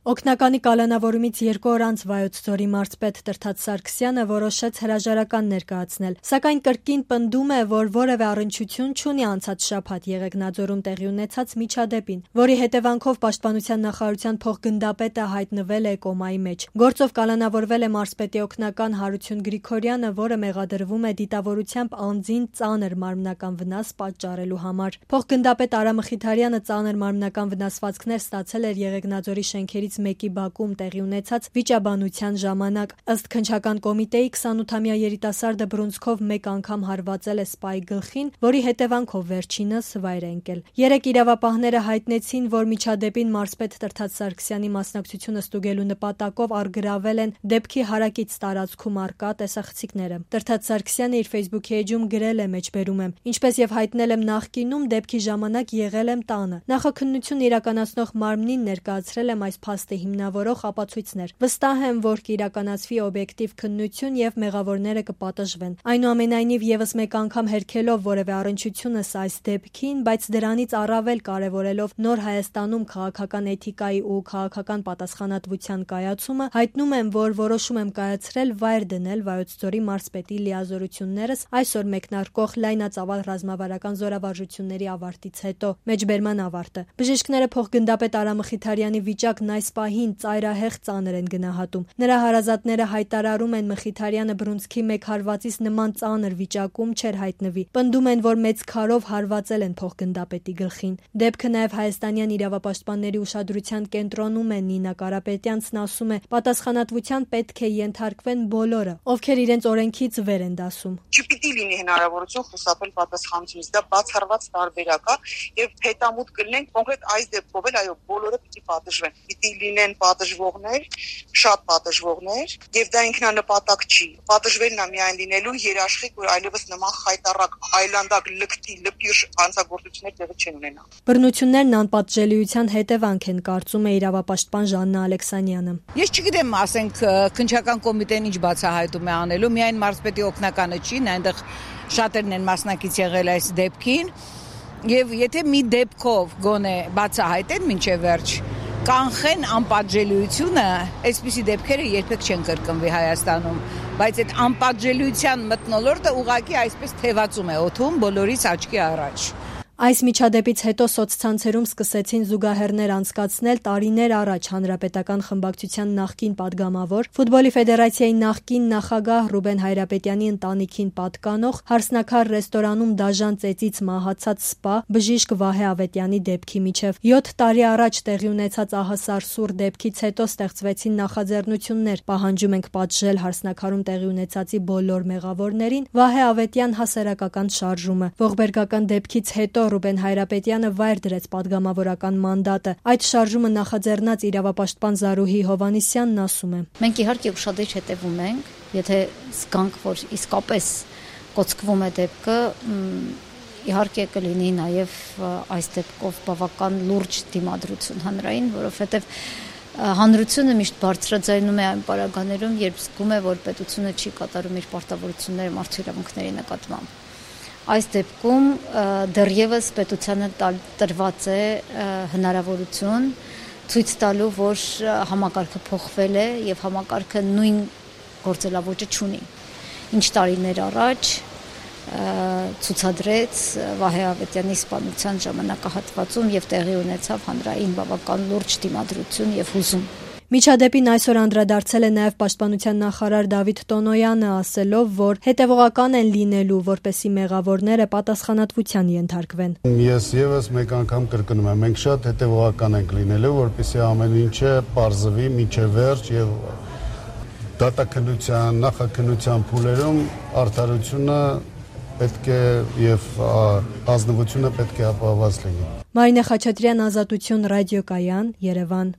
Օգնականի կալանավորումից 2 օր անց Վայոց ձորի մարզպետ Տրթած Սարգսյանը որոշեց հրաժարական ներկայացնել, սակայն կրկին պնդում է, որ որևէ առնչություն չունի անցած շաբաթ Եղեգնաձորում տեղի ունեցած միջադեպին, որի հետևանքով Պաշտպանության նախարարության փոխգնդապետը հայտնվել է կոմայի մեջ։ Գործով կալանավորվել է մարզպետի օգնական Հարություն Գրիգորյանը, որը մեղադրվում է դիտավորությամբ անձին ծանր մարմնական վնաս պատճառելու համար։ Փոխգնդապետ Արա Մխիթարյանը ծանր մարմնական վնասվածքներ ստացել էր Եղեգնաձորի շենքերից մեկի բակում տեղի ունեցած վիճաբանության ժամանակ։ Ըստ քննչական կոմիտեի 28-ամյա երիտասարդը բռունցքով մեկ անգամ հարվածել է սպայի գլխին, որի հետևանքով վերջինս վայր է ընկել։ Երեք իրավապահները հայտնեցին, որ միջադեպին մարզպետ Տրթած Սարգսյանի մասնակցությունը ստուգելու նպատակով առգրավել են դեպքի հարակից տարածքում առկա տեսախցիկները։ Տրթած Սարգսյանը իր Facebook էջում գրել է մեջբերում եմ. «Ինչպես եւ հայտնել եմ նախկինում, դեպքի ժամանակ եղել եմ տանը։ Նախաքննություն իրականացնող մարմնին ներկայացրել եմ այս փաստը հիմնավորող ապացույցներ։ Վստահ եմ, որ կիրականացվի օբյեկտիվ քննություն եւ մեղավորները կպատժվեն։ Այնուամենայնիվ եւս մեկ անգամ հերքելով որևէ առնչությունս այս դեպքին, բայց դրանից առավել կարեւորելով նոր Հայաստանում քաղաքական էթիկայի ու քաղաքական պատասխանատվության կայացումը, հայտնում եմ, որ որոշում եմ կայացրել վայր դնել Վայոց ձորի մարզպետի լիազորություններս այսօր մեկնարկող լայնածավալ ռազմավարական զորավարժությունների ավարտից հետո»։ Մեջբերման ավարտը։ Բժիշկները փոխգնդապետ Արա Մխիթարյանի վիճակն այս պահին ծայրահեղ ծանր են գնահատում։ Նրա հարազատները հայտարարում են Մխիթարյանը բռունցքի մեկ հարվածից նման ծանր վիճակում չէր հայտնվի։ Պնդում են, որ մեծ քարով հարվածել են փոխգնդապետի գլխին։ Դեպքը նաև հայաստանյան իրավապաշտպանների ուշադրության կենտրոնում է։ Նինա Կարապետյանցն ասում է, պատասխանատվության պետք է ենթարկվեն բոլորը, ովքեր իրենց օրենքից վեր են դասում։ Չպիտի լինի հնարավորություն խուսափել պատասխանատվությունից, դա բացառված տարբերակ է եւ հետամուտ կլինենք կոնկրետ այս դեպքով էլ այո բոլորը պիտի պատժվեն։ Պիտի լինեն պատժվողներ, շատ պատժվողներ, եւ դա ինքնանպատակ չի։ Պատժվելն է միայն լինելու երաշխիք, որ այլևս նման խայտառակ, այլանդակ, լկտի, լպիրշ հանցագործություններ տեղի չեն ունենա։ Բռնություններն անպատժելիության հետևանք են, կարծում է իրավապաշտպան Ժաննա Ալեքսանյանը։ Ես չգիտեմ, ասենք քննչական կոմիտեն ինչ բացահայտում է անելու, միայն մարզպետի օգնականը չի, այնտեղ շատերն են մասնակից եղել այս դեպքին, եւ եթե մի դեպքով գոնե բացահայտեն մինչեւ վերջ կանխեն անպատժելիությունը, այսպիսի դեպքերը երբեք չեն կրկնվի Հայաստանում, բայց այդ անպատժելիության մթնոլորտը ուղղակի այսպես թևածում է օդում բոլորիս աչքի առաջ։ Այս միջադեպից հետո սոցցանցերում սկսեցին զուգահեռներ անցկացնել տարիներ առաջ Հանրապետական խմբակցության նախկին падգամավոր, Ֆուտբոլի ֆեդերացիայի նախկին նախագահ Ռուբեն Հայրապետյանի ընտանիքին պատկանող Հարսնաքար ռեստորանում դաժան ծեծից մահացած սպա բժիշկ Վահե Ավետյանի դեպքի միջև 7 տարի առաջ տեղի ունեցած ահասարսուռ դեպքից հետո ստեղծվեցին նախաձեռնություններ, պահանջում ենք պատժել Հարսնաքարում տեղի ունեցածի բոլոր մեղավորներին, Վահե Ավետյան հասարակական շարժումը, ողբերգական դեպքից հետո Ռուբեն Հայրապետյանը վայր դրեց падգամավորական մանդատը։ Այդ շարժումը նախաձեռնած իրավապաշտպան Զարուհի Հովհաննիսյանն ասում է. Մենք իհարկե ուշադիր հետևում ենք, եթե զգանք, որ իսկապես կոծկվում է դեպքը, իհարկե կլինի նաև այս դեպքով բավական լուրջ դիմադրություն հանրային, որովհետև հանրությունը միշտ բարձրաձայնում է այն պարագաներում, երբ զգում է, որ պետությունը չի կատարում իր պարտավորությունները մարդու իրավունքների նկատմամբ։ Այս դեպքում դեռևս պետությանը տրված է հնարավորություն ցույց տալու, որ համակարգը փոխվել է եւ համակարգը նույն գործելավոճը չունի։ Ինչ տարիներ առաջ ցուցադրեց Վահե Ավետյանի սպանության ժամանակահատվածում եւ տեղի ունեցավ հանրային բավական լուրջ դիմադրություն եւ հուզում։ Միջադեպին այսօր անդրադարձել է նաև Պաշտպանության նախարար Դավիթ Տոնոյանը, ասելով, որ հետևողական են լինելու, որպեսզի մեղավորները պատասխանատվության ենթարկվեն։ Ես եւս մեկ անգամ կրկնում եմ, մենք շատ հետևողական ենք լինելու, որպեսզի ամեն ինչը պարզվի մինչև վերջ եւ դատաքննության, նախաքննության փուլերում արդարությունը պետք է եւ ազնվությունը պետք է ապահովված լինի։ Մարինե Խաչատրյան, Ազատություն, Ռադիոկայան, Երևան։